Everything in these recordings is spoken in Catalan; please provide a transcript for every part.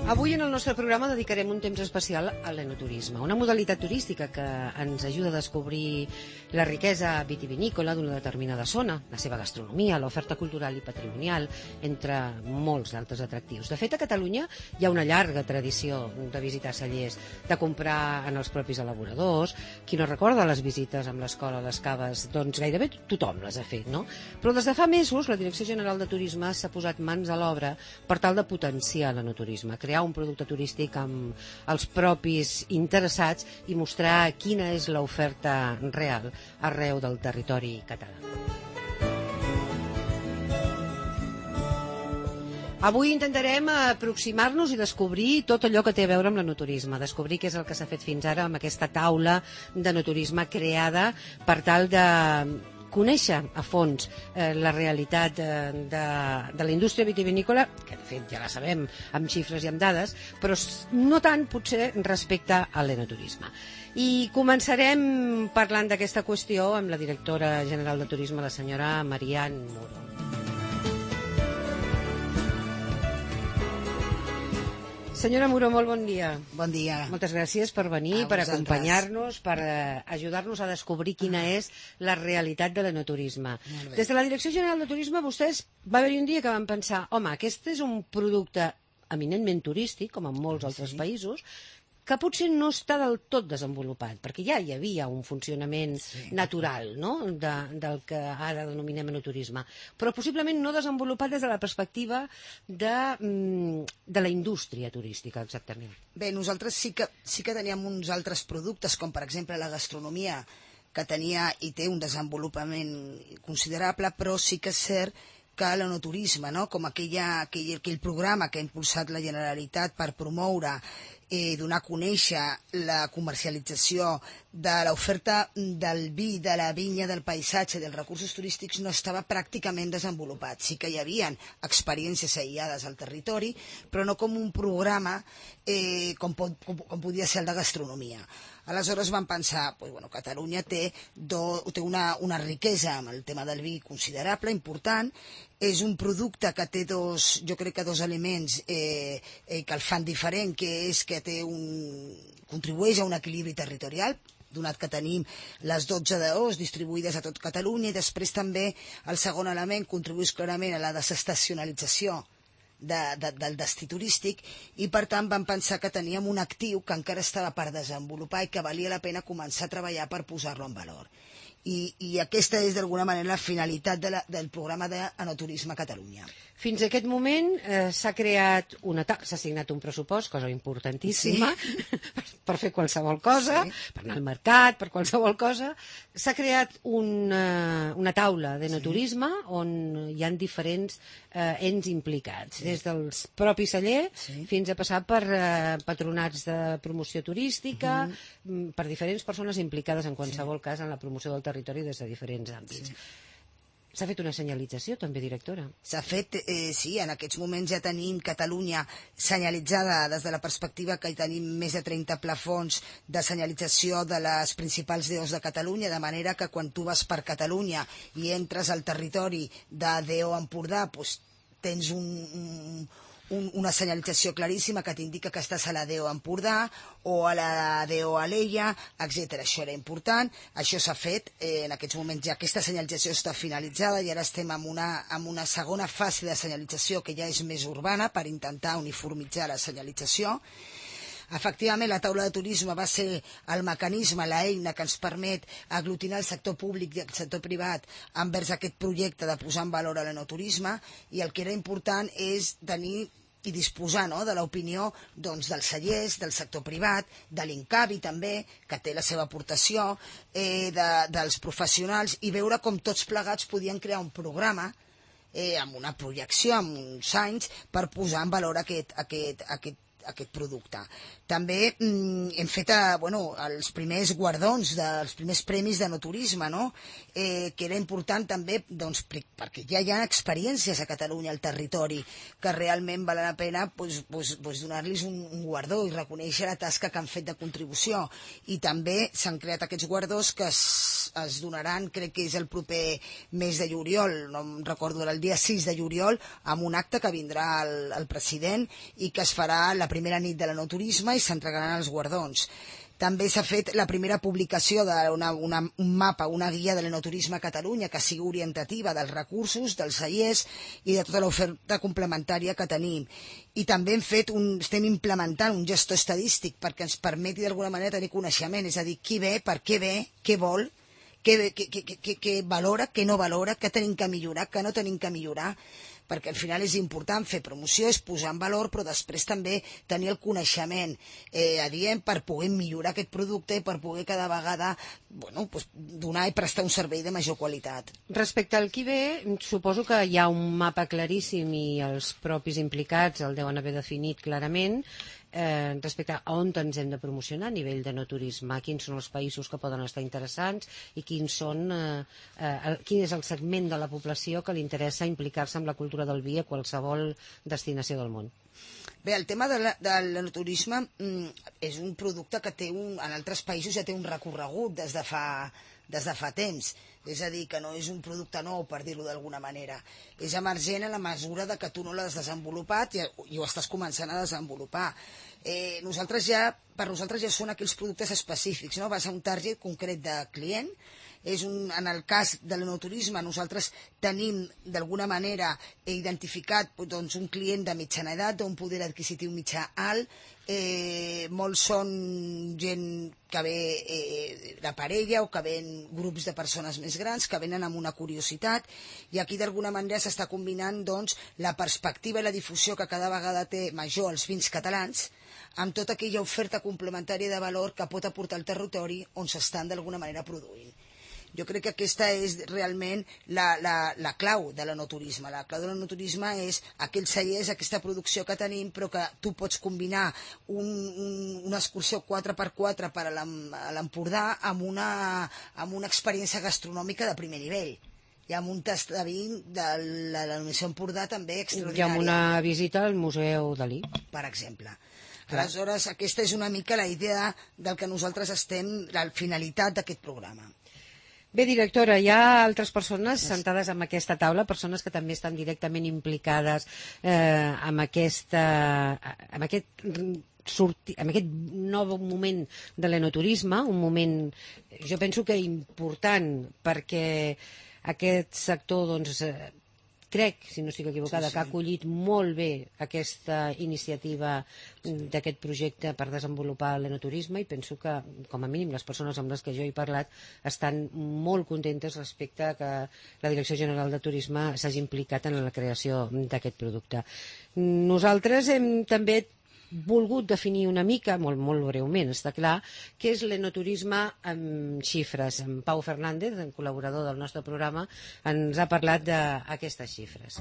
Avui en el nostre programa dedicarem un temps especial a l'enoturisme, una modalitat turística que ens ajuda a descobrir la riquesa vitivinícola d'una determinada zona, la seva gastronomia, l'oferta cultural i patrimonial, entre molts d'altres atractius. De fet, a Catalunya hi ha una llarga tradició de visitar cellers, de comprar en els propis elaboradors. Qui no recorda les visites amb l'escola a les caves? Doncs gairebé tothom les ha fet, no? Però des de fa mesos la Direcció General de Turisme s'ha posat mans a l'obra per tal de potenciar l'enoturisme, crear un producte turístic amb els propis interessats i mostrar quina és l'oferta real arreu del territori català. Avui intentarem aproximar-nos i descobrir tot allò que té a veure amb l'enoturisme, descobrir què és el que s'ha fet fins ara amb aquesta taula d'enoturisme creada per tal de conèixer a fons la realitat de la indústria vitivinícola, que de fet ja la sabem amb xifres i amb dades, però no tant potser respecte a l'enoturisme. I començarem parlant d'aquesta qüestió amb la directora general de turisme, la senyora Marian Muro. Senyora Muro, molt bon dia. Bon dia. Moltes gràcies per venir, per acompanyar-nos, per ajudar-nos a descobrir quina és la realitat de l'enoturisme. Des de la Direcció General de Turisme, vostès va haver-hi un dia que van pensar, home, aquest és un producte eminentment turístic, com en molts altres països, que potser no està del tot desenvolupat, perquè ja hi havia un funcionament natural, no?, del que ara denominem enoturisme, però possiblement no desenvolupat des de la perspectiva de la indústria turística, exactament. Bé, nosaltres sí que teníem uns altres productes, com per exemple la gastronomia, que tenia i té un desenvolupament considerable, però sí que és cert que l'enoturisme, no?, com aquell programa que ha impulsat la Generalitat per promoure donar a conèixer la comercialització de l'oferta del vi, de la vinya, del paisatge, dels recursos turístics, no estava pràcticament desenvolupat. Sí que hi havia experiències aïllades al territori, però no com un programa com podia ser el de gastronomia. Aleshores vam pensar, Catalunya té una riquesa amb el tema del vi considerable, important. És un producte que té jo crec que dos elements que el fan diferent, que és que contribueix a un equilibri territorial, donat que tenim les 12 DOs distribuïdes a tot Catalunya, i després també el segon element contribueix clarament a la desestacionalització del destí turístic, i per tant vam pensar que teníem un actiu que encara estava per desenvolupar i que valia la pena començar a treballar per posar-lo en valor. I aquesta és d'alguna manera la finalitat del programa d'enoturisme a Catalunya. Fins a aquest moment s'ha assignat un pressupost, cosa importantíssima, per fer qualsevol cosa, per anar al mercat, per qualsevol cosa. S'ha creat una taula d'enoturisme on hi ha diferents ens implicats, des dels propis cellers fins a passar per patronats de promoció turística, per diferents persones implicades en qualsevol cas en la promoció del territori des de diferents àmbits. S'ha fet una senyalització, també, directora? S'ha fet, sí, en aquests moments ja tenim Catalunya senyalitzada des de la perspectiva que hi tenim més de 30 plafons de senyalització de les principals DOs de Catalunya, de manera que quan tu vas per Catalunya i entres al territori de DO Empordà, tens una senyalització claríssima que t'indica que estàs a la DO Empordà o a la DO Alella, etc. Això era important, això s'ha fet, en aquests moments ja aquesta senyalització està finalitzada i ara estem en una segona fase de senyalització que ja és més urbana per intentar uniformitzar la senyalització. Efectivament, la taula de turisme va ser el mecanisme, l'eina que ens permet aglutinar el sector públic i el sector privat envers aquest projecte de posar en valor l'enoturisme, i el que era important és tenir i disposar de l'opinió dels cellers, del sector privat, de l'Incavi també, que té la seva aportació, dels professionals, i veure com tots plegats podien crear un programa amb una projecció, amb uns anys, per posar en valor aquest producte. També hem fet els primers guardons dels primers premis d'enoturisme, que era important també perquè ja hi ha experiències a Catalunya al territori que realment val la pena donar-los un guardó i reconèixer la tasca que han fet de contribució. I també s'han creat aquests guardons que es donaran, crec que és el proper mes de juliol, no em recordo, el dia 6 de juliol, amb un acte que vindrà el president i que es farà la la primera nit de l'enoturisme i s'entregaran els guardons. També s'ha fet la primera publicació d'un mapa, una guia de l'enoturisme a Catalunya que sigui orientativa dels recursos, dels cellers i de tota l'oferta complementària que tenim. I també estem implementant un gestor estadístic perquè ens permeti d'alguna manera tenir coneixement, és a dir, qui ve, per què ve, què vol, què valora, què no valora, què tenim que millorar, què no tenim que millorar, perquè al final és important fer promoció, és posar en valor, però després també tenir el coneixement adient per poder millorar aquest producte i per poder cada vegada donar i prestar un servei de major qualitat. Respecte al qui ve, suposo que hi ha un mapa claríssim i els propis implicats el deuen haver definit clarament respecte a on ens hem de promocionar a nivell de no turisme, quins són els països que poden estar interessants i quin és el segment de la població que li interessa implicar-se en la cultura del vi a qualsevol destinació del món. Bé, el tema de l'enoturisme és un producte que en altres països ja té un recorregut des de fa temps. És a dir, que no és un producte nou, per dir-ho d'alguna manera. És emergent a la mesura que tu no l'has desenvolupat i ho estàs començant a desenvolupar. Per nosaltres ja són aquells productes específics, no? Vas a un target concret de client. En el cas de l'enoturisme nosaltres tenim d'alguna manera identificat un client de mitjana edat, d'un poder adquisitiu mitjà alt, molts són gent que ve de parella o que ven grups de persones més grans que venen amb una curiositat, i aquí d'alguna manera s'està combinant la perspectiva i la difusió que cada vegada té major els vins catalans amb tota aquella oferta complementària de valor que pot aportar al territori on s'estan d'alguna manera produint. Jo crec que aquesta és realment la clau de l'enoturisme. La clau de l'enoturisme és aquells cellers, aquesta producció que tenim, però que tu pots combinar una excursió 4x4 per a l'Empordà amb una experiència gastronòmica de primer nivell. I amb un tast de vi de la denominació Empordà també extraordinària. I amb una visita al Museu Dalí. Per exemple. Aleshores, aquesta és una mica la idea del que nosaltres la finalitat d'aquest programa. Bé, directora, hi ha altres persones sentades en aquesta taula, persones que també estan directament implicades amb aquest nou moment de l'enoturisme, un moment, jo penso que important, perquè aquest sector, crec, si no estic equivocada, que ha acollit molt bé aquesta iniciativa d'aquest projecte per desenvolupar l'enoturisme, i penso que, com a mínim, les persones amb les que jo he parlat estan molt contentes respecte a que la Direcció General de Turisme s'hagi implicat en la creació d'aquest producte. Nosaltres hem també volgut definir una mica, molt breument, està clar, què és l'enoturisme amb xifres. En Pau Fernández, el col·laborador del nostre programa, ens ha parlat d'aquestes xifres.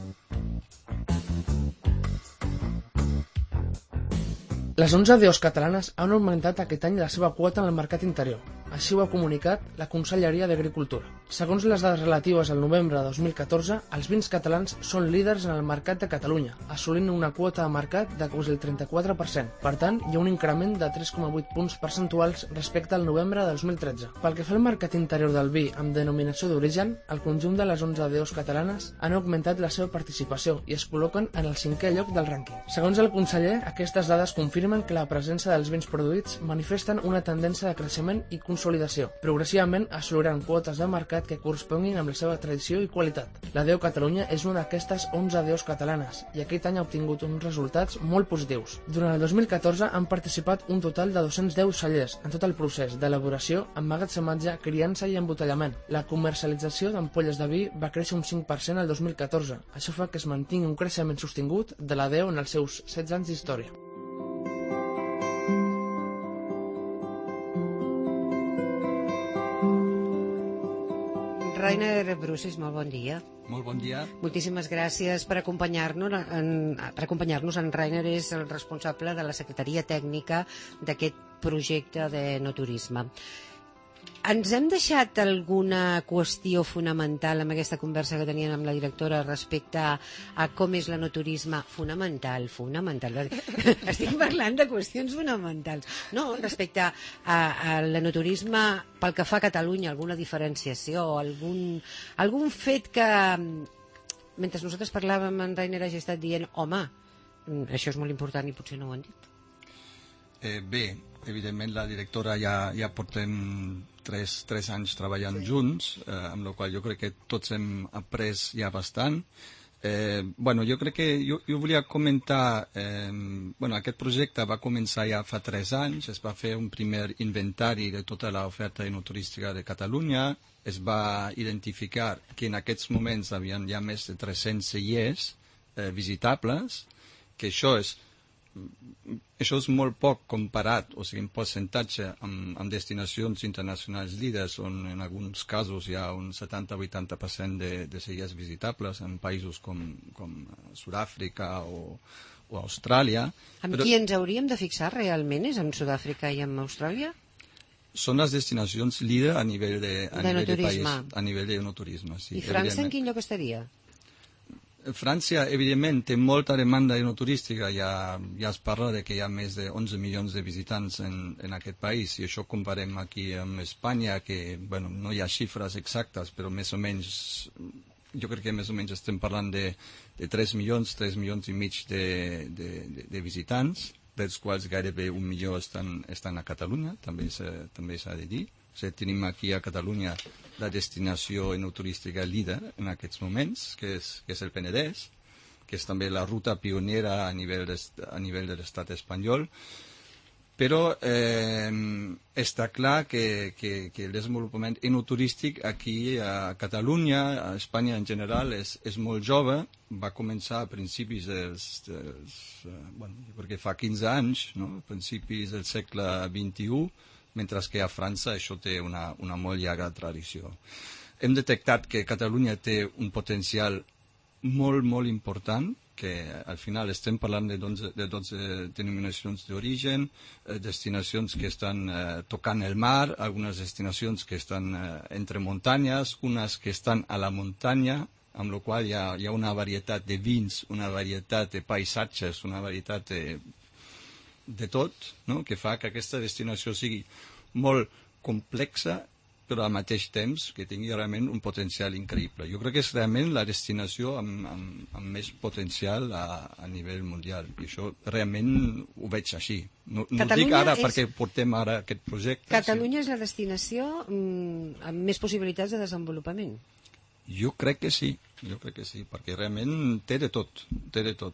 Les 11 DOs catalanes han augmentat aquest any la seva quota en el mercat interior. Així ho ha comunicat la Conselleria d'Agricultura. Segons les dades relatives al novembre de 2014, els vins catalans són líders en el mercat de Catalunya, assolint una quota de mercat de quasi el 34%. Per tant, hi ha un increment de 3,8 punts percentuals respecte al novembre de 2013. Pel que fa al mercat interior del vi amb denominació d'origen, el conjunt de les 11 DOs catalanes han augmentat la seva participació i es col·loquen en el 5è lloc del rànquing. Segons el conseller, aquestes dades confirmen que la presència dels vins produïts manifesten una tendència de creixement i consolidació. Progressivament assoliran quotes de mercat que corresponguin amb la seva tradició i qualitat. La DO Catalunya és una d'aquestes 11 DOs catalanes i aquest any ha obtingut uns resultats molt positius. Durant el 2014 han participat un total de 210 cellers en tot el procés d'elaboració, emmagatzematge, criança i embotellament. La comercialització d'ampolles de vi va créixer un 5% el 2014. Això fa que es mantingui un creixement sostingut de la DO en els seus 16 anys d'història. Rainer Brusis, molt bon dia. Molt bon dia. Moltíssimes gràcies per acompanyar-nos. En Rainer és el responsable de la Secretaria Tècnica d'aquest projecte d'enoturisme. Ens hem deixat alguna qüestió fonamental amb aquesta conversa que teníem amb la directora respecte a com és l'enoturisme? Fonamental. Estic parlant de qüestions fonamentals. No, respecte a l'enoturisme pel que fa a Catalunya, alguna diferenciació, algun fet que, mentre nosaltres parlàvem, en Rainer hagi estat dient, home, això és molt important i potser no ho han dit. Bé, evidentment la directora ja portem 3 anys treballant junts, amb la qual jo crec que tots hem après ja bastant. Jo crec que jo volia comentar, aquest projecte va començar ja fa 3 anys, es va fer un primer inventari de tota l'oferta enoturística de Catalunya, es va identificar que en aquests moments hi havia ja més de 300 cellers visitables, que això és molt poc comparat, o sigui, en percentatge amb destinacions internacionals líders, on en alguns casos hi ha un 70-80% de cellers visitables en països com Sud-àfrica o Austràlia. Amb qui ens hauríem de fixar realment? És en Sud-àfrica i en Austràlia? Són les destinacions líder a nivell de país, a nivell d'enoturisme. Sí, i França en quin lloc estaria? França, evidentment, té molta demanda enoturística, ja es parla de que hi ha més de 11 milions de visitants en aquest país, i això comparem aquí amb Espanya, que no hi ha xifres exactes, però més o menys, jo crec que més o menys estem parlant de 3 milions i mig de visitants, dels quals gairebé 1 milió estan a Catalunya, també s'ha de dir. O sigui, tenim aquí a Catalunya la destinació enoturística líder en aquests moments, que és el Penedès, que és també la ruta pionera a nivell de l'estat espanyol. Però està clar que el desenvolupament enoturístic aquí a Catalunya, a Espanya en general, és molt jove. Va començar a principis jo crec que fa 15 anys, no? A principis del segle XXI, mentre que a França això té una molt llarga tradició. Hem detectat que Catalunya té un potencial molt, molt important, que al final estem parlant de 12 denominacions d'origen, destinacions que estan tocant el mar, algunes destinacions que estan entre muntanyes, unes que estan a la muntanya, amb la qual hi ha una varietat de vins, una varietat de paisatges, una varietat de tot, no? Que fa que aquesta destinació sigui molt complexa, però al mateix temps que tingui realment un potencial increïble. Jo crec que és realment la destinació amb més potencial a nivell mundial, i això realment ho veig així. No ho dic ara perquè portem ara aquest projecte. Catalunya és la destinació amb més possibilitats de desenvolupament? Jo crec que sí, perquè realment té de tot.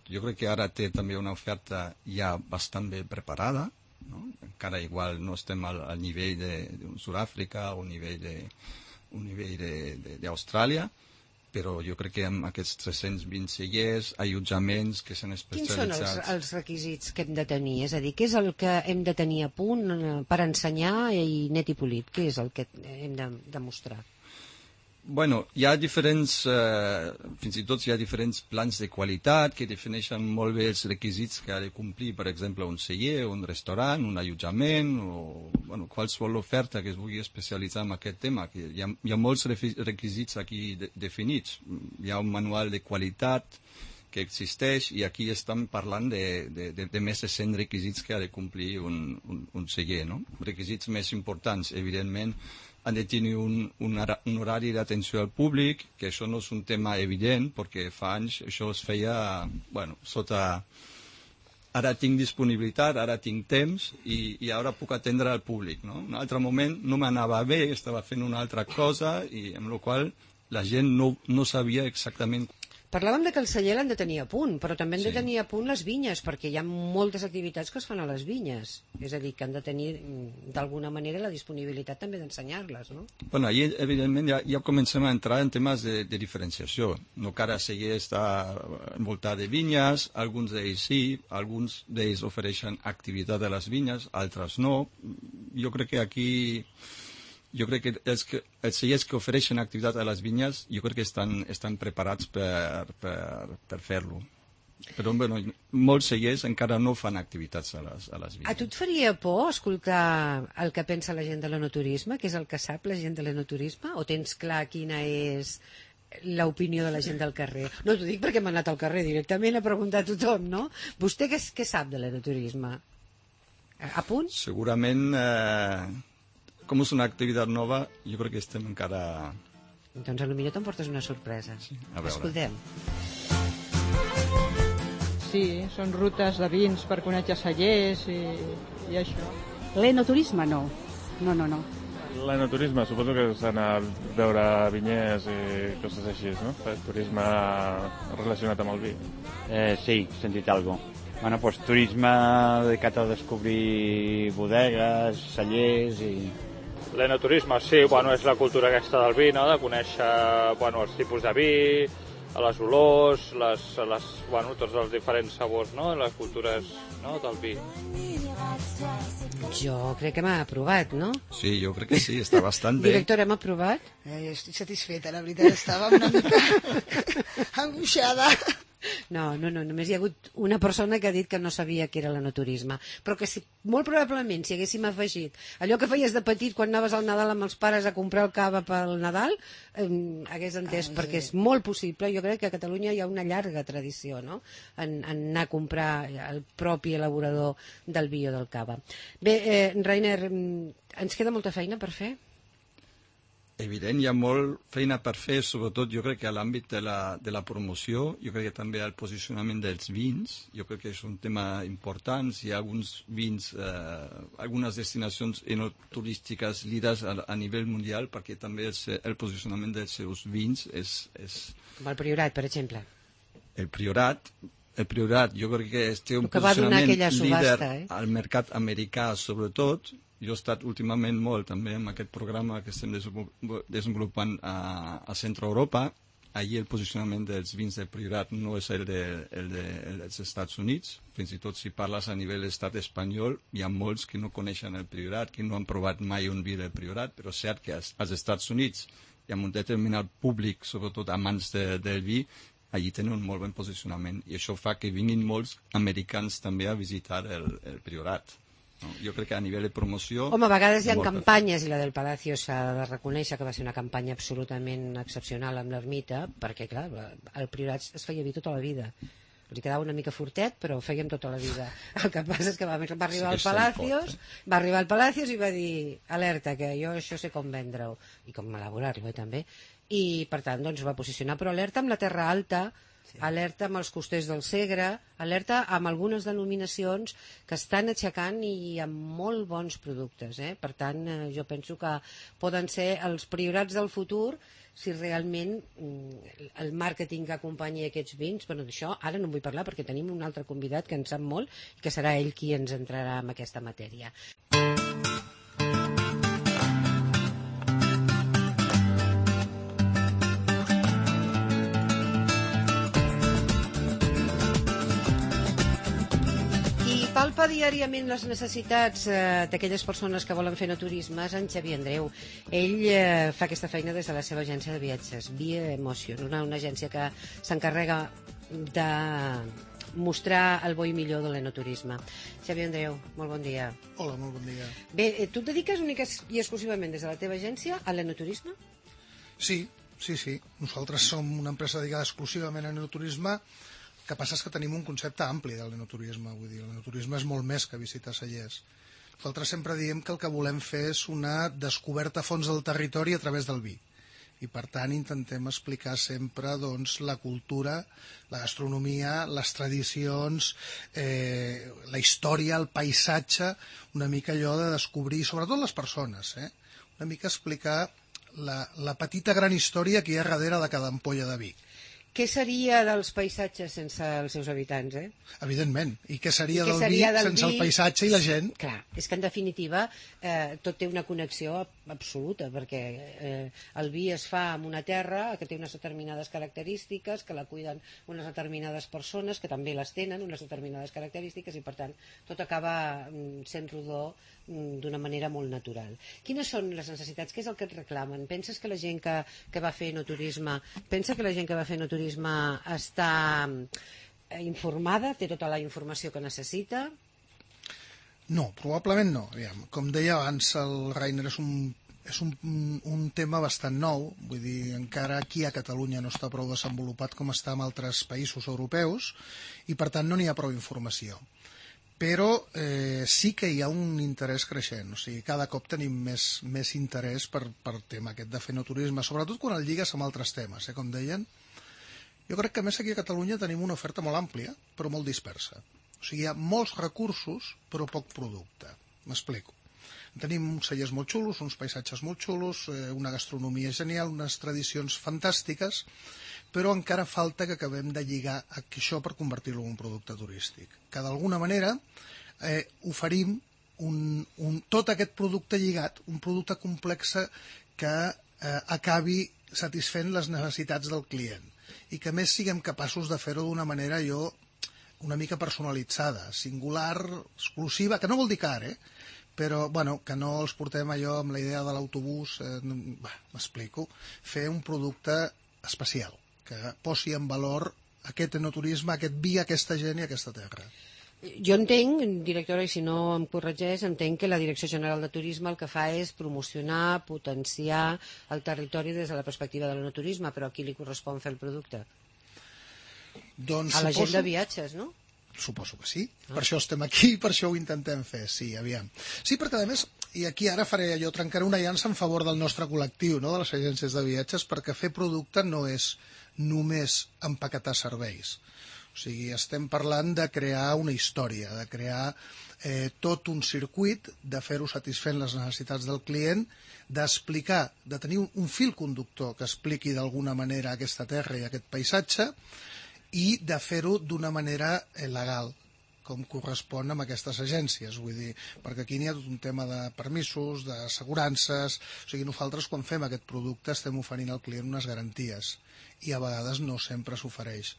Jo crec que ara té també una oferta ja bastant ben preparada, no? Encara igual no estem al nivell d'un Sud-àfrica o un nivell d'Austràlia, però jo crec que amb aquests 320 cellers, allotjaments que s'han especialitzat... Quins són els requisits que hem de tenir? És a dir, què és el que hem de tenir a punt per ensenyar i net i polit? Què és el que hem de demostrar? Hi ha fins i tot hi ha diferents plans de qualitat que defineixen molt bé els requisits que ha de complir, per exemple, un celler, un restaurant, un allotjament, o qualsevol oferta que es vulgui especialitzar en aquest tema. Que hi ha molts requisits aquí definits. Hi ha un manual de qualitat que existeix, i aquí estem parlant de més de 100 requisits que ha de complir un celler, no? Requisits més importants, evidentment, han de tenir un horari d'atenció al públic, que això no és un tema evident, perquè fa anys això es feia, sota ara tinc disponibilitat, ara tinc temps, i ara puc atendre al públic, no? Un altre moment no m'anava bé, estava fent una altra cosa, i amb la qual la gent no sabia exactament. Parlàvem que el celler l'han de tenir a punt, però també han de tenir a punt les vinyes, perquè hi ha moltes activitats que es fan a les vinyes. És a dir, que han de tenir, d'alguna manera, la disponibilitat també d'ensenyar-les, no? Ahir, evidentment, ja comencem a entrar en temes de diferenciació. No cada celler està envoltat de vinyes, alguns d'ells sí, alguns d'ells ofereixen activitat a les vinyes, altres no. Jo crec que aquí... Jo crec que els cellers que ofereixen activitat a les vinyes, jo crec que estan preparats per fer-lo. Però molts cellers encara no fan activitats a les vinyes. A tu et faria por escoltar el que pensa la gent de l'enoturisme, que és el que sap la gent de l'enoturisme, o tens clar quina és l'opinió de la gent del carrer? No t'ho dic perquè m'ha anat al carrer directament a preguntar a tothom, no? Vostè què sap de l'enoturisme? A punt? Segurament... Com és una activitat nova, jo crec que estem encara... Doncs potser t'emportes una sorpresa. Sí, a veure. Escoltem. Sí, són rutes de vins per conèixer cellers i I això? L'enoturisme no. No. L'enoturisme, suposo que és anar a veure vinyers i coses així, no? Turisme relacionat amb el vi. Sí, he sentit algo. Bueno, pues turisme dedicat a descobrir bodegues, cellers i... L'enoturisme, sí, bueno, és la cultura aquesta del vi, no? De conèixer, bueno, els tipus de vi, les olors, bueno, tots els diferents sabors, no? Les cultures, no? Del vi. Jo crec que m'ha aprovat, no? Sí, jo crec que sí, està bastant bé. Director, hem aprovat? Jo estic satisfeta, la veritat, estava una mica angoixada. No, només hi ha hagut una persona que ha dit que no sabia què era l'enoturisme, però que si, molt probablement si haguéssim afegit allò que feies de petit quan anaves al Nadal amb els pares a comprar el cava pel Nadal, hagués entès, perquè és molt possible. Jo crec que a Catalunya hi ha una llarga tradició, no?, en anar a comprar el propi elaborador del vi o del cava. Bé, Rainer, ens queda molta feina per fer? Evident, hi ha molt feina per fer, sobretot jo crec que a l'àmbit de la promoció, jo crec que també el posicionament dels vins, jo crec que és un tema important. Hi ha alguns vins, algunes destinacions enoturístiques líders a nivell mundial, perquè també el posicionament dels seus vins és... Com el Priorat, per exemple. El Priorat, jo crec que té un posicionament líder al mercat americà, sobretot. Jo he estat últimament molt també en aquest programa que estem desenvolupant a Centre Europa. Allí el posicionament dels vins del Priorat no és el dels Estats Units. Fins i tot si parles a nivell estat espanyol, hi ha molts que no coneixen el Priorat, que no han provat mai un vi del Priorat, però és cert que als Estats Units hi ha un determinat públic, sobretot amants del vi, allí tenen un molt bon posicionament. I això fa que vinguin molts americans també a visitar el Priorat. No, jo crec que a nivell de promoció... Home, a vegades hi ha campanyes, i la del Palacio s'ha de reconèixer que va ser una campanya absolutament excepcional amb l'ermita, perquè, clar, el Priorat es feia vi tota la vida. Li quedava una mica fortet, però ho fèiem tota la vida. El que passa és que va arribar al Palacios i va dir, alerta, que jo això sé com vendre-ho, i com elaborar-lo, també. I, per tant, doncs, va posicionar, però alerta amb la Terra Alta, alerta amb els costers del Segre, alerta amb algunes denominacions que estan aixecant i amb molt bons productes. Per tant, jo penso que poden ser els Priorats del futur si realment el màrqueting que acompanyi aquests vins. Bueno, d'això ara no en vull parlar perquè tenim un altre convidat que en sap molt i que serà ell qui ens entrarà en aquesta matèria. Palpa diàriament les necessitats d'aquelles persones que volen fer enoturisme en Xavier Andreu. Ell fa aquesta feina des de la seva agència de viatges, Via Emotion, una agència que s'encarrega de mostrar el bo i millor de l'enoturisme. Xavier Andreu, molt bon dia. Hola, molt bon dia. Bé, tu et dediques únicament i exclusivament des de la teva agència a l'enoturisme? Sí. Nosaltres som una empresa dedicada exclusivament a l'enoturisme. El que passa és que tenim un concepte ampli de l'enoturisme, vull dir, l'enoturisme és molt més que visitar cellers. Nosaltres sempre diem que el que volem fer és una descoberta a fons del territori a través del vi. I per tant intentem explicar sempre doncs, la cultura, la gastronomia, les tradicions, la història, el paisatge, una mica allò de descobrir, sobretot les persones, una mica explicar la petita gran història que hi ha darrere de cada ampolla de vi. Què seria dels paisatges sense els seus habitants, Evidentment. I què seria del vi sense el paisatge i la gent? Clar, és que en definitiva tot té una connexió absoluta, perquè el vi es fa en una terra que té unes determinades característiques, que la cuiden unes determinades persones, que també les tenen, unes determinades característiques, i per tant tot acaba sent rodó d'una manera molt natural. Quines són les necessitats? Què és el que et reclamen? Penses que la gent que va fer enoturisme està informada, té tota la informació que necessita? No, probablement no. Com deia abans, el Rainer és un tema bastant nou, vull dir, encara aquí a Catalunya no està prou desenvolupat com està en altres països europeus i per tant no n'hi ha prou informació. Però sí que hi ha un interès creixent, o sigui, cada cop tenim més interès per tema aquest de fer enoturisme, sobretot quan el lligues amb altres temes, com deien. Jo crec que a més aquí a Catalunya tenim una oferta molt àmplia, però molt dispersa. O sigui, hi ha molts recursos, però poc producte. M'explico. Tenim uns cellers molt xulos, uns paisatges molt xulos, una gastronomia genial, unes tradicions fantàstiques, però encara falta que acabem de lligar això per convertir-lo en un producte turístic. Que d'alguna manera oferim tot aquest producte lligat, un producte complex que acabi satisfent les necessitats del client i que més siguem capaços de fer-ho d'una manera una mica personalitzada, singular, exclusiva, que no vol dir car, però que no els portem allò amb la idea de l'autobús, m'explico, fer un producte especial, que posi en valor aquest enoturisme, aquest vi, aquesta gent i aquesta terra. Jo entenc, directora, i si no em corregeix, entenc que la Direcció General de Turisme el que fa és promocionar, potenciar el territori des de la perspectiva de l'enoturisme, però a qui li correspon fer el producte? Doncs a la gent de viatges, no? Suposo que sí. Per això estem aquí, per això ho intentem fer, sí, aviam. Sí, perquè a més, i aquí ara trencaré una llança en favor del nostre col·lectiu, no?, de les agències de viatges, perquè fer producte no és només empaquetar serveis. O sigui, estem parlant de crear una història, de crear tot un circuit, de fer-ho satisfent les necessitats del client, d'explicar, de tenir un fil conductor que expliqui d'alguna manera aquesta terra i aquest paisatge i de fer-ho d'una manera legal, com correspon amb aquestes agències, vull dir, perquè aquí n'hi ha tot un tema de permisos, d'assegurances, o sigui, nosaltres quan fem aquest producte estem oferint al client unes garanties i a vegades no sempre s'ofereix.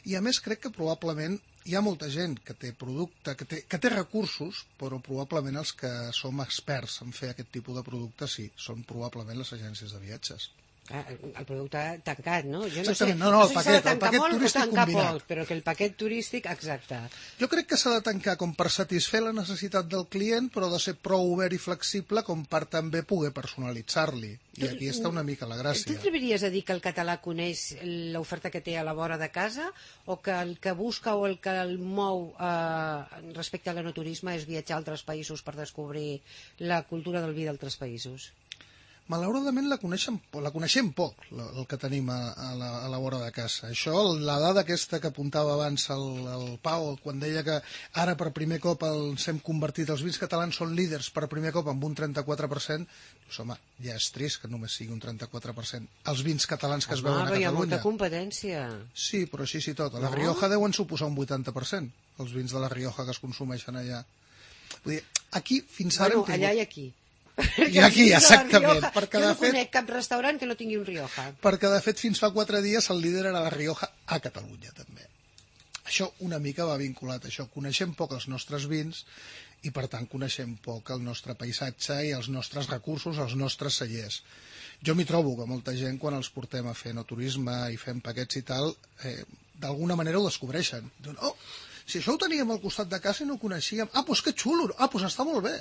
I a més crec que probablement hi ha molta gent que té producte, que té recursos, però probablement els que som experts en fer aquest tipus de producte sí, són probablement les agències de viatges. El producte tancat, no? Jo no Exactament, sé, el paquet turístic combinat. Però que el paquet turístic, exacte. Jo crec que s'ha de tancar com per satisfer la necessitat del client, però de ser prou obert i flexible com per també poder personalitzar-li. I aquí està una mica la gràcia. Tu t'atreviries a dir que el català coneix l'oferta que té a la vora de casa o que el que busca o el que el mou respecte a l'enoturisme és viatjar a altres països per descobrir la cultura del vi d'altres països? Malauradament la coneixem poc, el que tenim a la vora de casa. Això, la dada aquesta que apuntava abans el Pau, quan deia que ara per primer cop ens hem convertit, els vins catalans són líders per primer cop amb un 34%, doncs home, ja és trist que només sigui un 34%. Els vins catalans que es veuen a Catalunya. Hi ha molta competència. Sí, però així sí tot. A la Rioja deuen suposar un 80%, els vins de la Rioja que es consumeixen allà. Vull dir, aquí fins ara... Bueno, allà i aquí. I aquí, exactament. Jo no conec cap restaurant que no tingui un Rioja. Perquè, de fet, fins fa 4 dies el líder era la Rioja a Catalunya, també. Això una mica va vinculat a això. Coneixem poc els nostres vins i, per tant, coneixem poc el nostre paisatge i els nostres recursos, els nostres cellers. Jo m'hi trobo que molta gent, quan els portem a fer enoturisme i fem paquets i tal, d'alguna manera ho descobreixen. Diuen, oh, si això ho teníem al costat de casa i no ho coneixíem. Ah, doncs que xulo, ah, doncs està molt bé.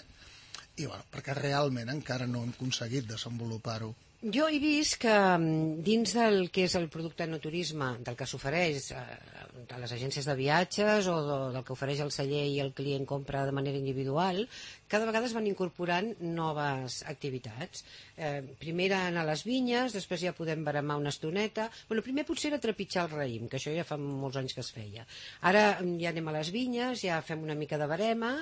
I bueno, perquè realment encara no hem aconseguit desenvolupar-ho. Jo he vist que dins del que és el producte enoturisme, del que s'ofereix a les agències de viatges o del que ofereix el celler i el client compra de manera individual, cada vegada es van incorporant noves activitats. Primer anar a les vinyes, després ja podem baremar una estoneta. Bueno, primer potser era trepitjar el raïm, que això ja fa molts anys que es feia. Ara ja anem a les vinyes, ja fem una mica de barema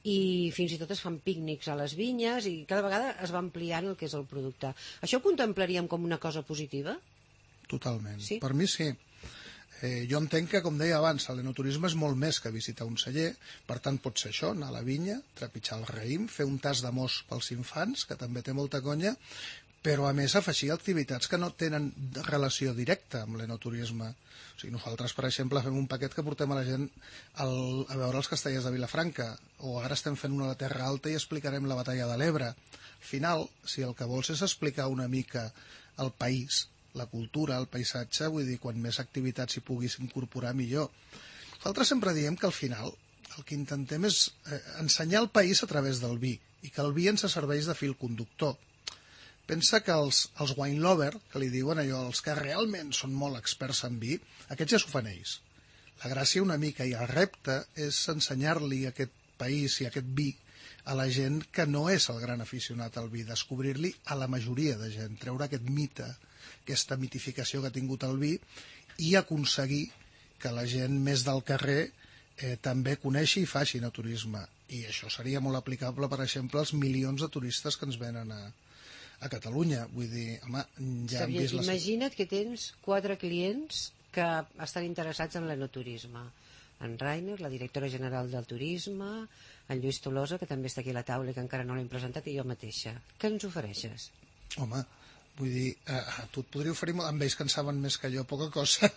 i fins i tot es fan pícnics a les vinyes i cada vegada es va ampliant el que és el producte. Això ho contemplaríem com una cosa positiva? Totalment. Sí? Per mi sí. Jo entenc que, com deia abans, l'enoturisme és molt més que visitar un celler, per tant pot ser això, anar a la vinya, trepitjar el raïm, fer un tas de mos pels infants, que també té molta conya, però a més afegir activitats que no tenen relació directa amb l'enoturisme. O sigui, nosaltres, per exemple, fem un paquet que portem a la gent a veure els castellers de Vilafranca, o ara estem fent una a la Terra Alta i explicarem la batalla de l'Ebre. Al final, si el que vols és explicar una mica el país, la cultura, el paisatge, vull dir, quan més activitats hi puguis incorporar, millor. Nosaltres sempre diem que al final el que intentem és ensenyar el país a través del vi, i que el vi ens serveix de fil conductor. Pensa que els wine lover, que li diuen allò, els que realment són molt experts en vi, aquests ja s'ho fan ells. La gràcia una mica i el repte és ensenyar-li aquest país i aquest vi a la gent que no és el gran aficionat al vi, descobrir-li a la majoria de gent, treure aquest mite, aquesta mitificació que ha tingut el vi i aconseguir que la gent més del carrer també coneixi i faci enoturisme. I això seria molt aplicable, per exemple, als milions de turistes que ens venen a Catalunya. Vull dir, home, ja hem vist... Imagina't que tens 4 clients que estan interessats en l'enoturisme. En Rainer, la directora general del turisme, en Lluís Tolosa, que també està aquí a la taula i que encara no l'hem presentat, i jo mateixa. Què ens ofereixes? Home, vull dir, tu et podria oferir... Amb ells que en saben més que jo, poca cosa.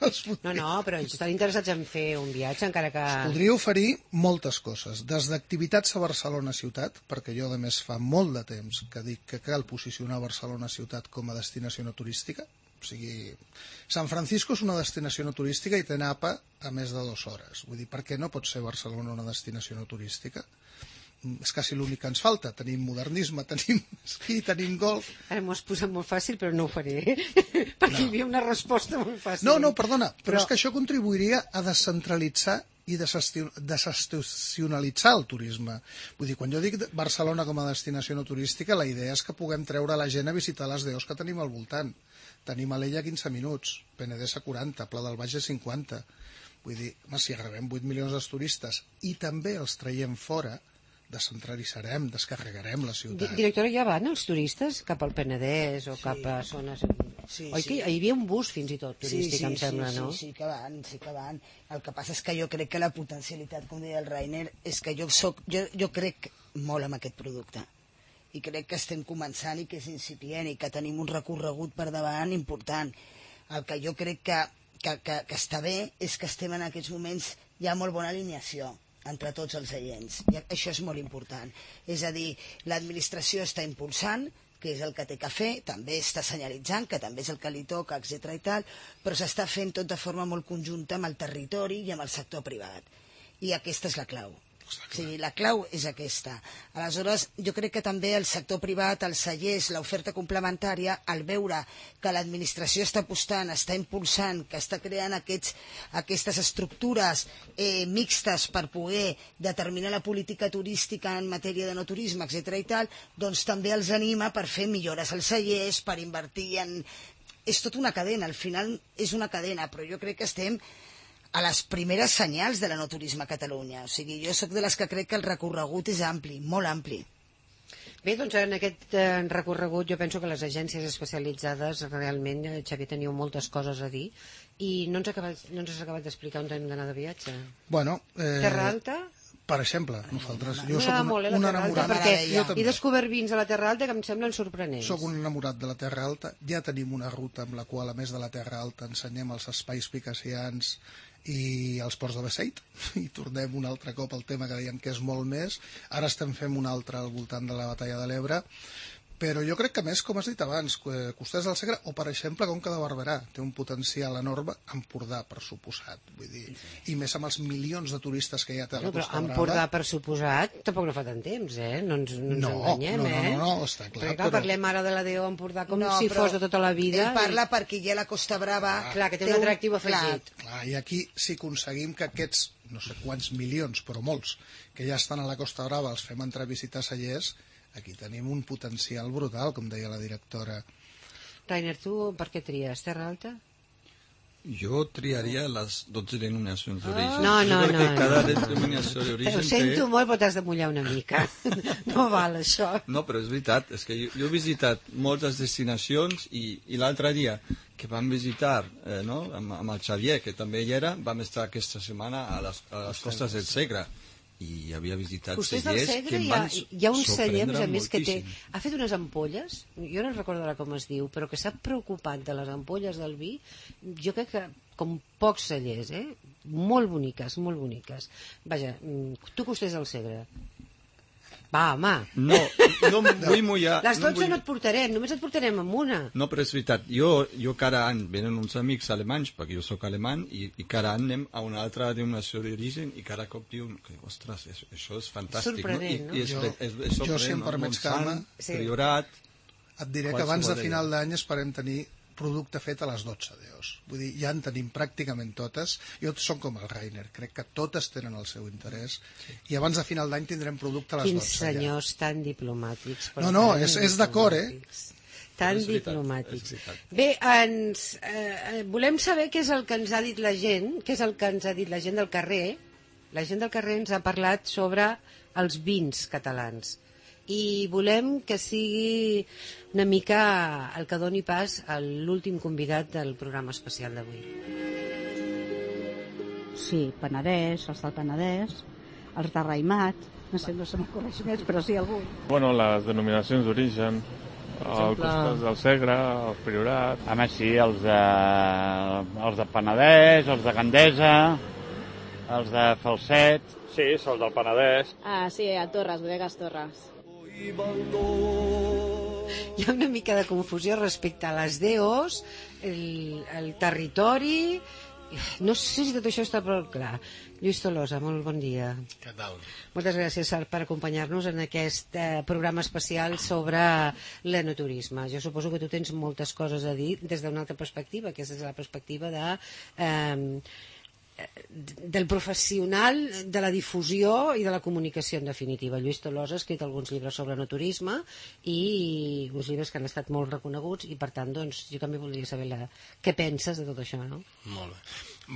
No, però ells estan interessats en fer un viatge, encara que... Es podria oferir moltes coses, des d'activitats a Barcelona ciutat, perquè jo, a més, fa molt de temps que dic que cal posicionar Barcelona ciutat com a destinació no turística. O sigui, San Francisco és una destinació no turística i té napa a més de 2 hores. Vull dir, per què no pot ser Barcelona una destinació no turística? És quasi l'únic que ens falta. Tenim modernisme, tenim esquí, tenim golf... Ara m'ho has posat molt fàcil, però no ho faré, perquè hi havia una resposta molt fàcil. No, perdona, però és que això contribuiria a descentralitzar i desestacionalitzar el turisme. Vull dir, quan jo dic Barcelona com a destinació no turística, la idea és que puguem treure la gent a visitar les deus que tenim al voltant. Tenim Alella 15 minuts, Penedès a 40, Pla del Baix a 50. Vull dir, si agravem 8 milions de turistes i també els traiem fora, descentralitzarem, descarregarem la ciutat. Directora, ja van els turistes cap al Penedès o cap a zones... Oi que hi havia un bus fins i tot turístic, em sembla, no? Sí que van. El que passa és que jo crec que la potencialitat, com deia el Rainer, és que jo crec molt en aquest producte. I crec que estem començant i que és incipient i que tenim un recorregut per davant important. El que jo crec que està bé és que estem en aquests moments ja molt bona alineació entre tots els agents. I això és molt important. És a dir, l'administració està impulsant, que és el que té que fer, també està senyalitzant, que també és el que li toca, etc. i tal, però s'està fent tot de forma molt conjunta amb el territori i amb el sector privat. I aquesta és la clau. O sigui, la clau és aquesta. Aleshores, jo crec que també el sector privat, els cellers, l'oferta complementària, al veure que l'administració està apostant, està impulsant, que està creant aquestes estructures mixtes per poder determinar la política turística en matèria de no turisme, etc. i tal, doncs també els anima per fer millores als cellers, per invertir en... És tota una cadena, al final és una cadena, però jo crec que estem a les primeres senyals de l'enoturisme a Catalunya. O sigui, jo sóc de les que crec que el recorregut és ampli, molt ampli. Bé, doncs en aquest recorregut jo penso que les agències especialitzades realment, Xavier, teniu moltes coses a dir i no ens has acabat d'explicar on hem d'anar de viatge. Bueno, Terra Alta? Per exemple, nosaltres... Jo soc un enamorat... Perquè he descobert vins a la Terra Alta que em semblen sorprenents. Soc un enamorat de la Terra Alta. Ja tenim una ruta amb la qual, a més de la Terra Alta, ensenyem els espais picassians i els ports de Beseit, i tornem un altre cop al tema que dèiem que és molt més. Ara estem fent un altre al voltant de la Batalla de l'Ebre, però jo crec que més, com has dit abans, Costers del Segre o, per exemple, Conca de Barberà té un potencial enorme, Empordà, per suposat, vull dir, i més amb els milions de turistes que hi ha a la Costa Brava. Empordà, per suposat, tampoc no fa tant temps, no ens enganyem, No, està clar. Perquè, clar, parlem ara de la DO Empordà com si fos de tota la vida. Ell parla perquè hi ha la Costa Brava... Clar, que té un atractiu afegit. Clar, i aquí si aconseguim que aquests, no sé quants milions, però molts, que ja estan a la Costa Brava, els fem entrar a visitar cellers, aquí tenim un potencial brutal, com deia la directora. Rainer, tu per què tries? Terra Alta? Jo triaria les 12 denominacions d'origen. No. Perquè cada denominació d'origen Ho sento molt, però t'has de mullar una mica. No val, això. No, però és veritat. És que jo he visitat moltes destinacions i l'altre dia que vam visitar amb el Xavier, que també hi era, vam estar aquesta setmana a les costes del Segre. I havia visitat cellers que em van sorprendre moltíssim. Hi ha un celler, a més, que ha fet unes ampolles, jo no recordo ara com es diu, però que s'ha preocupat de les ampolles del vi, jo crec que com pocs cellers, molt boniques, molt boniques. Vaja, tu Costers del Segre. Va, home. No em vull mullar. Les 12 no et portarem, només et portarem amb una. No, però és veritat. Jo cada any venen uns amics alemanys, perquè jo sóc alemany, i cada any anem a una altra denominació d'origen i cada cop diuen que, ostres, això és fantàstic. Sorprenent, no? Jo, si em permets, Carme, Priorat... Et diré que abans de final d'any esperem tenir producte fet a les 12 d'EOS. Vull dir, ja en tenim pràcticament totes. Jo som com el Rainer, crec que totes tenen el seu interès. I abans de final d'any tindrem producte a les 12. Quins senyors tan diplomàtics. No, és d'acord, Tan diplomàtics. Bé, volem saber què és el que ens ha dit la gent, què és el que ens ha dit la gent del carrer, la gent del carrer ens ha parlat sobre els vins catalans i volem que sigui una mica el que doni pas a l'últim convidat del programa especial d'avui. Sí, Penedès, els del Penedès, els de Raïmat, no sé m'acorreix més, però sí algun. Bueno, les denominacions d'origen, el costat del Segre, el Priorat... Home, sí, els de Penedès, els de Gandesa, els de Falset... Sí, els del Penedès. Ah, sí, a Torres, bodegues Torres. Hi ha una mica de confusió respecte a les DOs, el territori... No sé si tot això està prou clar. Lluís Tolosa, molt bon dia. Què tal? Moltes gràcies per acompanyar-nos en aquest programa especial sobre l'enoturisme. Jo suposo que tu tens moltes coses a dir des d'una altra perspectiva, que és des de la perspectiva del professional de la difusió i de la comunicació, en definitiva. Lluís Tolosa ha escrit alguns llibres sobre enoturisme i uns llibres que han estat molt reconeguts i, per tant, doncs, jo també voldria saber què penses de tot això, no? Molt bé.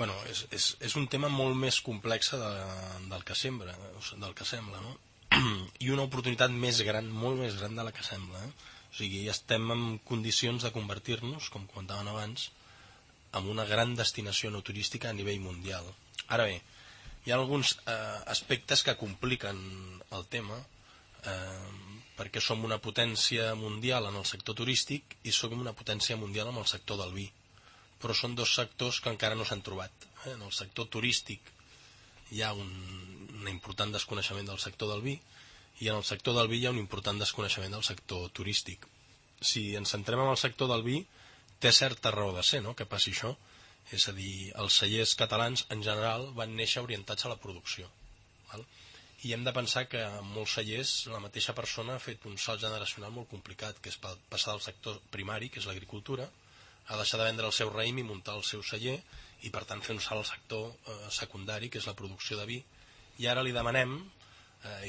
Bueno, és un tema molt més complex del que sembla, no? I una oportunitat més gran, molt més gran de la que sembla, O sigui, estem en condicions de convertir-nos, com comentaven abans, en una gran destinació no turística a nivell mundial. Ara bé, hi ha alguns aspectes que compliquen el tema, perquè som una potència mundial en el sector turístic i som una potència mundial en el sector del vi. Però són dos sectors que encara no s'han trobat. En el sector turístic hi ha un important desconeixement del sector del vi i en el sector del vi hi ha un important desconeixement del sector turístic. Si ens centrem en el sector del vi, té certa raó de ser, no?, que passi això. És a dir, els cellers catalans en general van néixer orientats a la producció. Val? I hem de pensar que en molts cellers la mateixa persona ha fet un salt generacional molt complicat, que és passar del sector primari, que és l'agricultura, a deixar de vendre el seu raïm i muntar el seu celler, i per tant fer un salt al sector secundari, que és la producció de vi. I ara li demanem,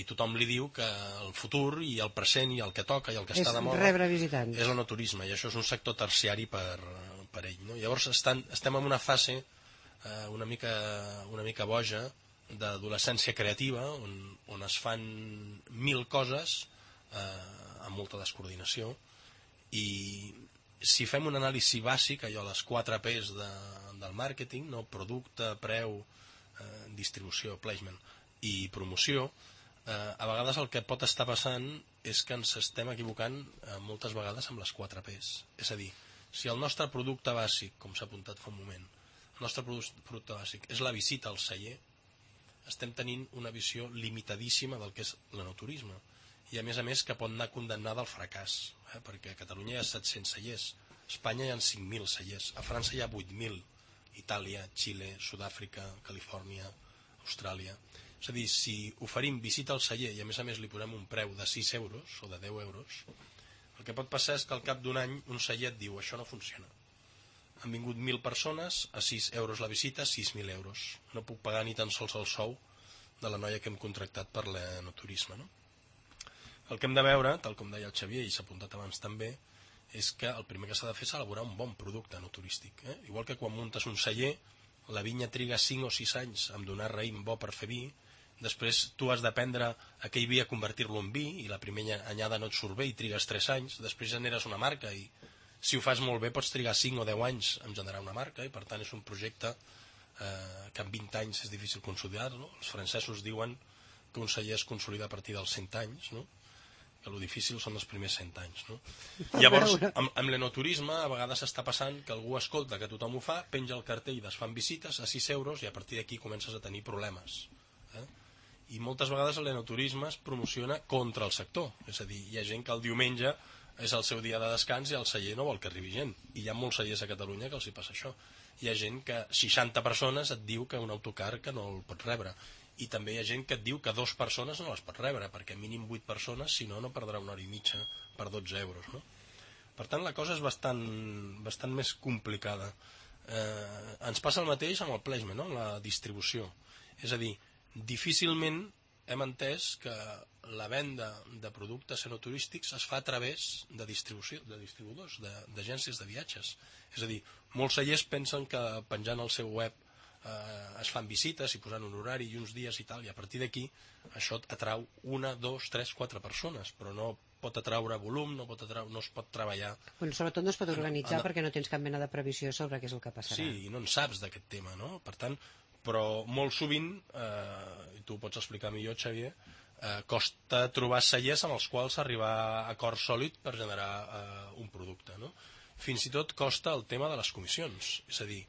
i tothom li diu que el futur i el present i el que toca i el que està de moda rebre visitants. És l'enoturisme, i això és un sector terciari per ell, no? Llavors estem en una fase una mica boja d'adolescència creativa on es fan 1000 coses amb molta descoordinació, i si fem un anàlisi bàsic, allò, les 4 P's del màrqueting, no? Producte, preu, distribució, placement i promoció, a vegades el que pot estar passant és que ens estem equivocant moltes vegades amb les 4 P's. És a dir, si el nostre producte bàsic, com s'ha apuntat fa un moment, el nostre producte bàsic és la visita al celler, estem tenint una visió limitadíssima del que és l'enoturisme, i a més que pot anar condemnada al fracàs, perquè a Catalunya hi ha 700 cellers, a Espanya hi ha 5.000 cellers, a França hi ha 8.000, Itàlia, Xile, Sud-àfrica, Califòrnia, Austràlia. És a dir, si oferim visita al celler i a més li posem un preu de 6 euros o de 10 euros, el que pot passar és que al cap d'un any un celler et diu això no funciona. Han vingut 1.000 persones, a 6 euros la visita, 6.000 euros. No puc pagar ni tan sols el sou de la noia que hem contractat per l'enoturisme, no? El que hem de veure, tal com deia el Xavier i s'ha apuntat abans també, és que el primer que s'ha de fer és elaborar un bon producte enoturístic. Igual que quan muntes un celler, la vinya triga 5 o 6 anys a donar raïm bo per fer vi, després tu has d'aprendre aquell vi a convertir-lo en vi, i la primera anyada no et surt bé i trigues 3 anys, després generes una marca i si ho fas molt bé pots trigar 5 o 10 anys en generar una marca, i per tant és un projecte que en 20 anys és difícil consolidar-lo. Els francesos diuen que un celler es consolida a partir dels 100 anys, no? Que el difícil són els primers 100 anys, no? Llavors, amb l'enoturisme a vegades està passant que algú escolta que tothom ho fa, penja el cartell, es fan visites a 6 euros i a partir d'aquí comences a tenir problemes. I moltes vegades l'enoturisme es promociona contra el sector, és a dir, hi ha gent que el diumenge és el seu dia de descans i el celler no vol que arribi gent, i hi ha molts cellers a Catalunya que els hi passa això. Hi ha gent que 60 persones et diu que un autocar que no el pot rebre, i també hi ha gent que et diu que 2 persones no les pot rebre, perquè mínim 8 persones, si no, no perdrà 1 hora i mitja per 12 euros, no? Per tant, la cosa és bastant més complicada. Ens passa el mateix amb el placement, no? La distribució. És a dir, difícilment hem entès que la venda de productes enoturístics es fa a través de distribuïdors, d'agències de viatges. És a dir, molts cellers pensen que penjant al seu web es fan visites i posant un horari i uns dies i tal, i a partir d'aquí això atrau 1, 2, 3, 4 persones, però no pot atraure volum, no es pot treballar. Bueno, sobretot no es pot organitzar perquè no tens cap mena de previsió sobre què és el que passarà. Sí, i no en saps d'aquest tema, no? Per tant, però molt sovint, i tu ho pots explicar millor, Xavier, costa trobar cellers amb els quals arribar a acord sòlid per generar un producte, no? Fins i tot costa el tema de les comissions, és a dir,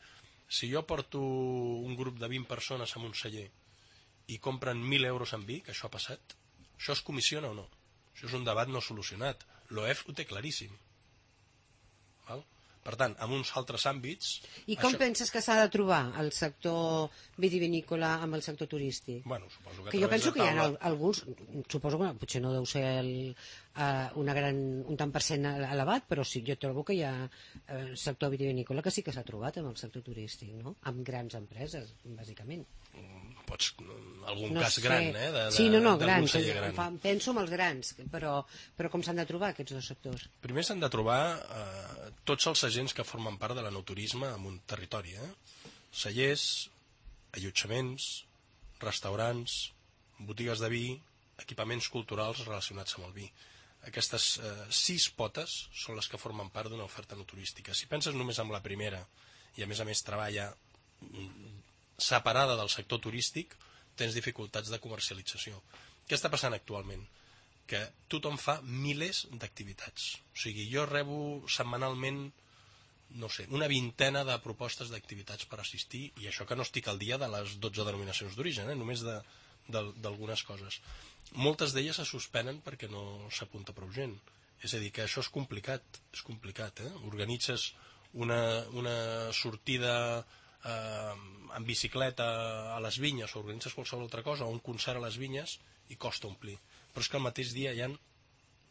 si jo porto un grup de 20 persones en un celler i compren 1.000 euros en vi, que això ha passat, això es comissiona o no? Això és un debat no solucionat. L'OEF ho té claríssim. Val? Per tant, en uns altres àmbits... I com penses que s'ha de trobar el sector vitivinícola amb el sector turístic? Bueno, suposo que jo penso que hi ha alguns, suposo que potser no deu ser un tant per cent elevat, però sí, jo trobo que hi ha sector vitivinícola que sí que s'ha trobat amb el sector turístic, no? Amb grans empreses, bàsicament. Pots, algun cas gran, sí, grans, penso en els grans, però com s'han de trobar aquests dos sectors? Primer s'han de trobar tots els agents que formen part de l'enoturisme en un territori, cellers, allotjaments, restaurants, botigues de vi, equipaments culturals relacionats amb el vi. Aquestes 6 potes són les que formen part d'una oferta enoturística. Si penses només en la primera i a més treballa separada del sector turístic, tens dificultats de comercialització. Què està passant actualment? Que tothom fa milers d'activitats. O sigui, jo rebo setmanalment, no sé, una vintena de propostes d'activitats per assistir, i això que no estic al dia de les 12 denominacions d'origen, només d'algunes coses. Moltes d'elles se suspenen perquè no s'apunta prou gent. És a dir, que això és complicat. Organitzes una sortida en bicicleta a les vinyes, o organitzes qualsevol altra cosa, o un concert a les vinyes, i costa omplir. Però és que al mateix dia hi ha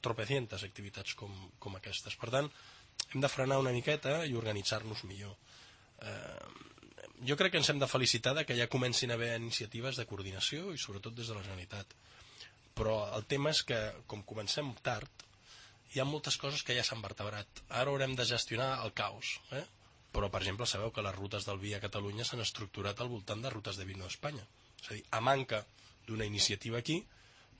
tropecientes activitats com aquestes. Per tant, hem de frenar una miqueta i organitzar-nos millor. Jo crec que ens hem de felicitar que ja comencin a haver iniciatives de coordinació, i sobretot des de la Generalitat. Però el tema és que, com comencem tard, hi ha moltes coses que ja s'han vertebrat. Ara haurem de gestionar el caos, però, per exemple, sabeu que les rutes del vi a Catalunya s'han estructurat al voltant de rutes de vino d'Espanya. És a dir, a manca d'una iniciativa aquí,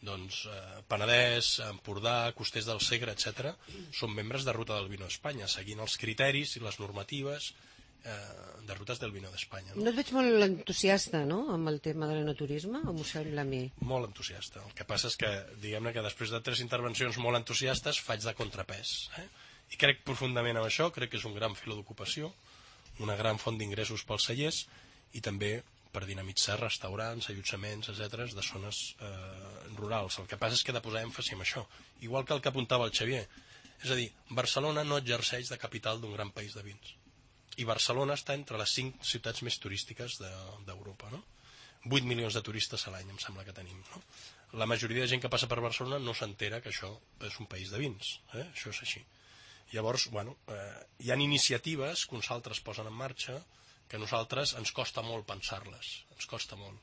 doncs Penedès, Empordà, Costers del Segre, etc., són membres de Ruta del Vino d'Espanya, seguint els criteris i les normatives de rutes del vino d'Espanya. No et veig molt entusiasta, no?, amb el tema de l'enoturisme, o m'ho sembla a mi? Molt entusiasta. El que passa és que, diguem-ne que després de 3 intervencions molt entusiastes, faig de contrapès. I crec profundament en això, crec que és un gran filó d'ocupació, una gran font d'ingressos pels cellers, i també per dinamitzar restaurants, allotjaments, etc., de zones rurals. El que passa és que he de posar èmfasi en això, igual que el que apuntava el Xavier. És a dir, Barcelona no exerceix de capital d'un gran país de vins. I Barcelona està entre les 5 ciutats més turístiques d'Europa, no? 8 milions de turistes a l'any, em sembla que tenim, no? La majoria de gent que passa per Barcelona no s'entera que això és un país de vins, això és així. Llavors, hi ha iniciatives que uns altres posen en marxa que a nosaltres ens costa molt pensar-les, ens costa molt.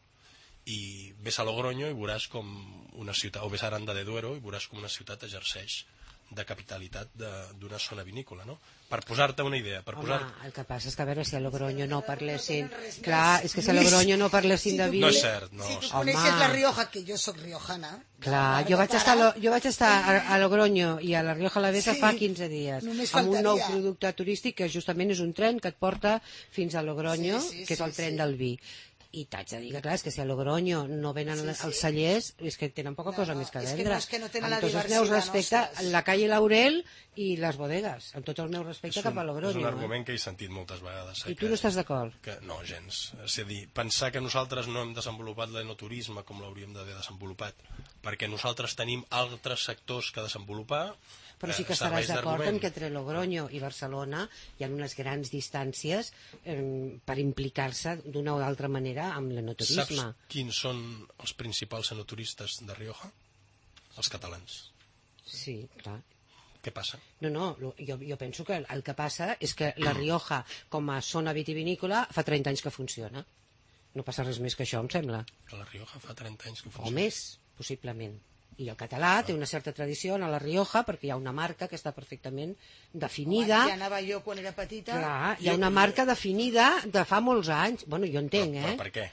I ves a Logroño i veuràs com una ciutat, o ves a Aranda de Duero i veuràs com una ciutat exerceix de capitalitat d'una zona vinícola, no? Per posar-te una idea. Home, el que passa és que a veure si a Logroño no parlessin... Clar, és que si a Logroño no parlessin de vi... No és cert, no. Si tu coneixes la Rioja, que jo soc riojana... Clar, jo vaig estar a Logroño i a la Rioja Alavesa fa 15 dies, amb un nou producte turístic que justament és un tren que et porta fins a Logroño, que és el tren del vi. I t'haig de dir que, clar, és que si a Logroño no venen els cellers, és que tenen poca cosa més que vendre. És que no tenen la diversitat. Amb tots els meus respecte, la calle Laurel i les bodegues, amb tots els meus respecte cap a Logroño. És un argument que he sentit moltes vegades. I tu no estàs d'acord? No, gens. És a dir, pensar que nosaltres no hem desenvolupat l'enoturisme com l'hauríem d'haver desenvolupat, perquè nosaltres tenim altres sectors que desenvolupar. Però sí que estaràs d'acord en que entre Logroño i Barcelona hi ha unes grans distàncies per implicar-se d'una o d'altra manera amb l'enoturisme. Saps quins són els principals enoturistes de Rioja? Els catalans. Sí, clar. Què passa? No, jo penso que el que passa és que la Rioja, com a zona vitivinícola, fa 30 anys que funciona. No passa res més que això, em sembla. Que la Rioja fa 30 anys que funciona. O més, possiblement. I el català té una certa tradició a la Rioja perquè hi ha una marca que està perfectament definida. Ja anava jo quan era petita. Clar, hi ha una marca definida de fa molts anys. Bueno, jo entenc, Però per què?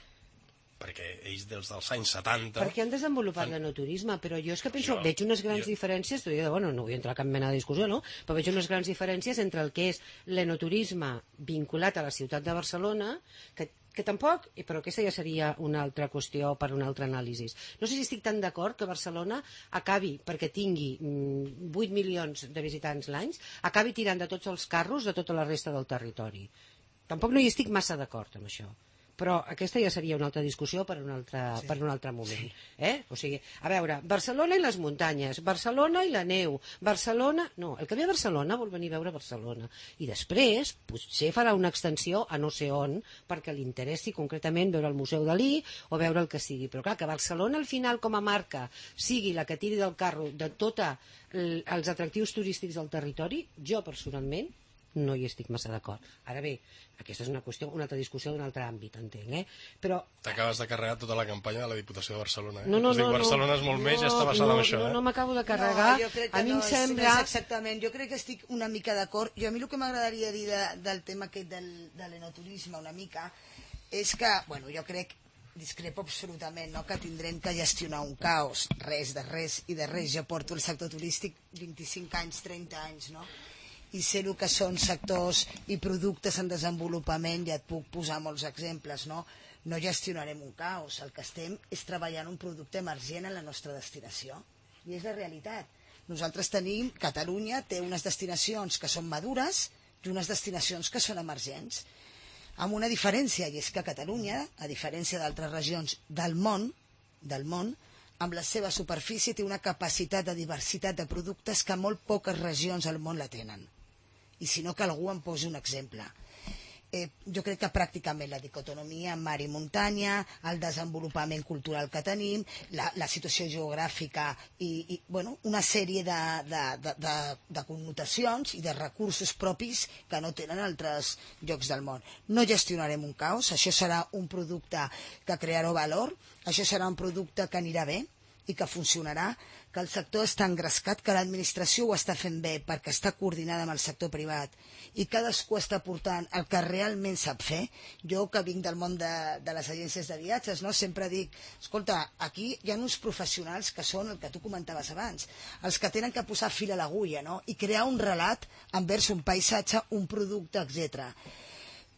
Perquè ells dels anys 70... Perquè han desenvolupat l'enoturisme, però jo és que penso, veig unes grans diferències, bueno, no vull entrar a cap mena de discussió, no? Però veig unes grans diferències entre el que és l'enoturisme vinculat a la ciutat de Barcelona, que tampoc, però aquesta ja seria una altra qüestió per una altra anàlisi. No sé si estic tan d'acord que Barcelona acabi, perquè tingui 8 milions de visitants l'any, acabi tirant de tots els carros de tota la resta del territori. Tampoc no hi estic massa d'acord amb això. Però aquesta ja seria una altra discussió per un altre moment. O sigui, a veure, Barcelona i les muntanyes, Barcelona i la neu, Barcelona... No, el que ve a Barcelona vol venir a veure Barcelona. I després, potser farà una extensió a no sé on, perquè li interessi concretament veure el Museu Dalí o veure el que sigui. Però clar, que Barcelona al final com a marca sigui la que tiri del carro de tots els atractius turístics del territori, jo personalment no hi estic massa d'acord. Ara bé, aquesta és una qüestió, una altra discussió d'un altre àmbit, entenc, però... T'acabes de carregar tota la campanya de la Diputació de Barcelona, No, Barcelona és molt més, ja està basada en això, No m'acabo de carregar. A mi em sembla... Exactament, jo crec que estic una mica d'acord. Jo a mi el que m'agradaria dir del tema aquest de l'enoturisme una mica és que, bueno, jo crec discrepo absolutament, no?, que tindrem que gestionar un caos, res de res i de res. Jo porto el sector turístic 25 anys, 30 anys, no?, i sé el que són sectors i productes en desenvolupament, ja et puc posar molts exemples, no? No gestionarem un caos, el que estem és treballant un producte emergent en la nostra destinació, i és la realitat. Nosaltres tenim, Catalunya té unes destinacions que són madures i unes destinacions que són emergents, amb una diferència, i és que Catalunya, a diferència d'altres regions del món, amb la seva superfície té una capacitat de diversitat de productes que molt poques regions al món la tenen. I si no, que algú em posi un exemple. Jo crec que pràcticament la dicotomia mar i muntanya, el desenvolupament cultural que tenim, la situació geogràfica i bueno, una sèrie de connotacions i de recursos propis que no tenen altres llocs del món. No gestionarem un caos, això serà un producte que crearà valor, això serà un producte que anirà bé i que funcionarà, que el sector està engrescat, que l'administració ho està fent bé perquè està coordinada amb el sector privat i cadascú està portant el que realment sap fer. Jo, que vinc del món de les agències de viatges, no, sempre dic, escolta, aquí hi ha uns professionals que són el que tu comentaves abans, els que tenen que posar fil a l'agulla, no?, i crear un relat envers un paisatge, un producte, etc.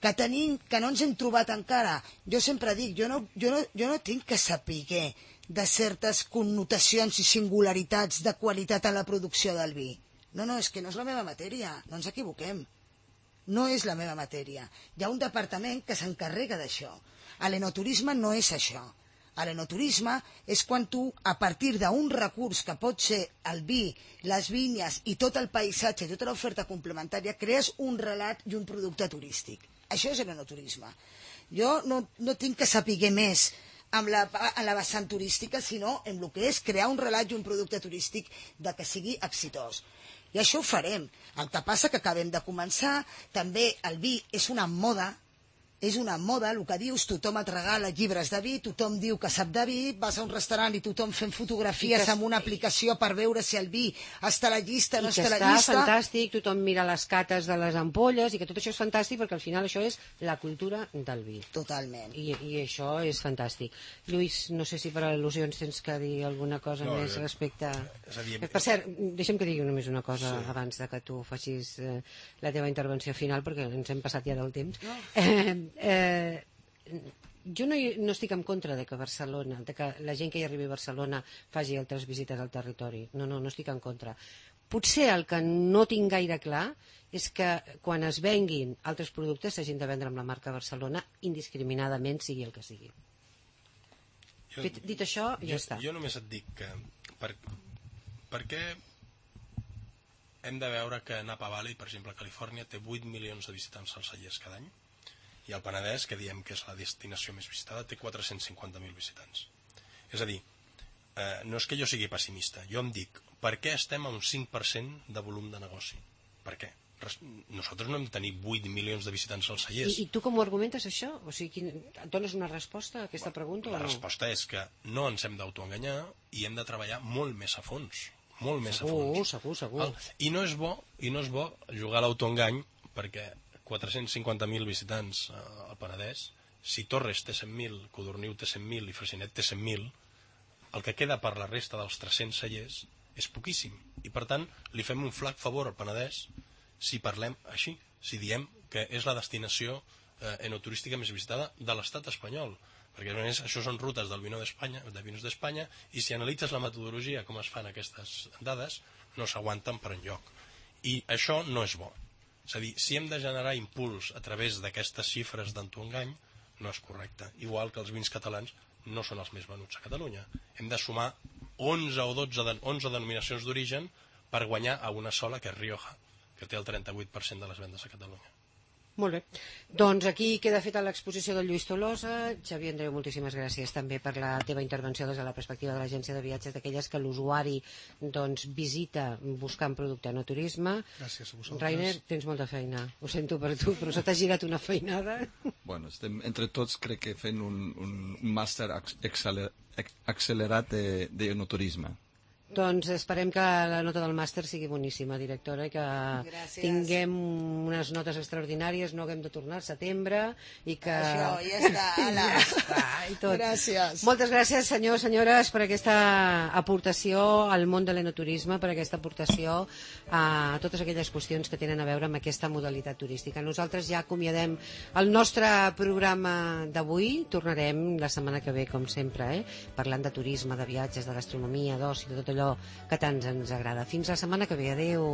Que no ens hem trobat encara. Jo sempre dic, jo no tinc que saber de certes connotacions i singularitats de qualitat en la producció del vi. No, és que no és la meva matèria, no ens equivoquem. No és la meva matèria. Hi ha un departament que s'encarrega d'això. L'enoturisme no és això. L'enoturisme és quan tu, a partir d'un recurs que pot ser el vi, les vinyes i tot el paisatge, tota l'oferta complementària, crees un relat i un producte turístic. Això és l'enoturisme. Jo no tinc que saber més en la vessant turística, sinó en el que és crear un relat i un producte turístic que sigui exitós. I això ho farem. El que passa que acabem de començar, també el vi és una moda, el que dius, tothom et regala llibres de vi, tothom diu que sap de vi, vas a un restaurant i tothom fent fotografies amb una aplicació per veure si el vi està a la llista o no està a la llista. I que està fantàstic, tothom mira les cates de les ampolles i que tot això és fantàstic perquè al final això és la cultura del vi. Totalment. I això és fantàstic. Lluís, no sé si per al·lusions tens que dir alguna cosa més respecte... Per cert, deixa'm que digui només una cosa abans de que tu facis la teva intervenció final perquè ens hem passat ja del temps. Jo no estic en contra de que Barcelona, de que la gent que hi arribi a Barcelona faci altres visites al territori. No estic en contra. Potser el que no tinc gaire clar és que quan es venguin altres productes s'hagin de vendre amb la marca Barcelona indiscriminadament, sigui el que sigui. Dit això, ja està. Jo només et dic que per què hem de veure que Napa Valley, per exemple, a Califòrnia, té 8 milions de visitants als cellers cada any, i el Penedès, que diem que és la destinació més visitada, té 450.000 visitants. És a dir, no és que jo sigui pessimista, jo em dic, per què estem a un 5% de volum de negoci? Per què? nosaltres no hem de tenir 8 milions de visitants als cellers. I tu com ho argumentes, això? O sigui, dones una resposta a aquesta pregunta o no? La resposta és que no ens hem d'autoenganyar i hem de treballar molt més a fons. Molt més a fons. Segur. I no és bo jugar a l'autoengany, perquè 450.000 visitants al Penedès, si Torres té 100.000, Codorniu té 100.000 i Freixenet té 100.000, el que queda per la resta dels 300 cellers és poquíssim. I per tant, li fem un flac favor al Penedès si parlem així, si diem que és la destinació enoturística més visitada de l'estat espanyol. Perquè a més això són rutes del Vinos d'Espanya, i si analitzes la metodologia, com es fan aquestes dades, no s'aguanten per enlloc. I això no és bo. És a dir, si hem de generar impuls a través d'aquestes xifres d'autoengany, no és correcte. Igual que els vins catalans no són els més venuts a Catalunya. Hem de sumar 11 denominacions d'origen per guanyar a una sola, que és Rioja, que té el 38% de les vendes a Catalunya. Molt bé. Doncs aquí queda feta l'exposició del Lluís Tolosa. Xavier Andreu, moltíssimes gràcies també per la teva intervenció des de la perspectiva de l'agència de viatges, d'aquelles que l'usuari visita buscant producte en turisme. Gràcies a vosaltres. Rainer, tens molta feina. Ho sento per tu, però se t'ha girat una feinada. Bueno, estem entre tots, crec que fent un màster accelerat d'enoturisme. Doncs esperem que la nota del màster sigui boníssima, directora, i que tinguem unes notes extraordinàries, no haguem de tornar al setembre, i que... Això, ja està, ala. I tot. Gràcies. Moltes gràcies, senyors, senyores, per aquesta aportació al món de l'enoturisme, per aquesta aportació a totes aquelles qüestions que tenen a veure amb aquesta modalitat turística. Nosaltres ja acomiadem el nostre programa d'avui. Tornarem la setmana que ve, com sempre, parlant de turisme, de viatges, de gastronomia, d'oci, de tot allò que tant ens agrada. Fins la setmana que ve. Adéu.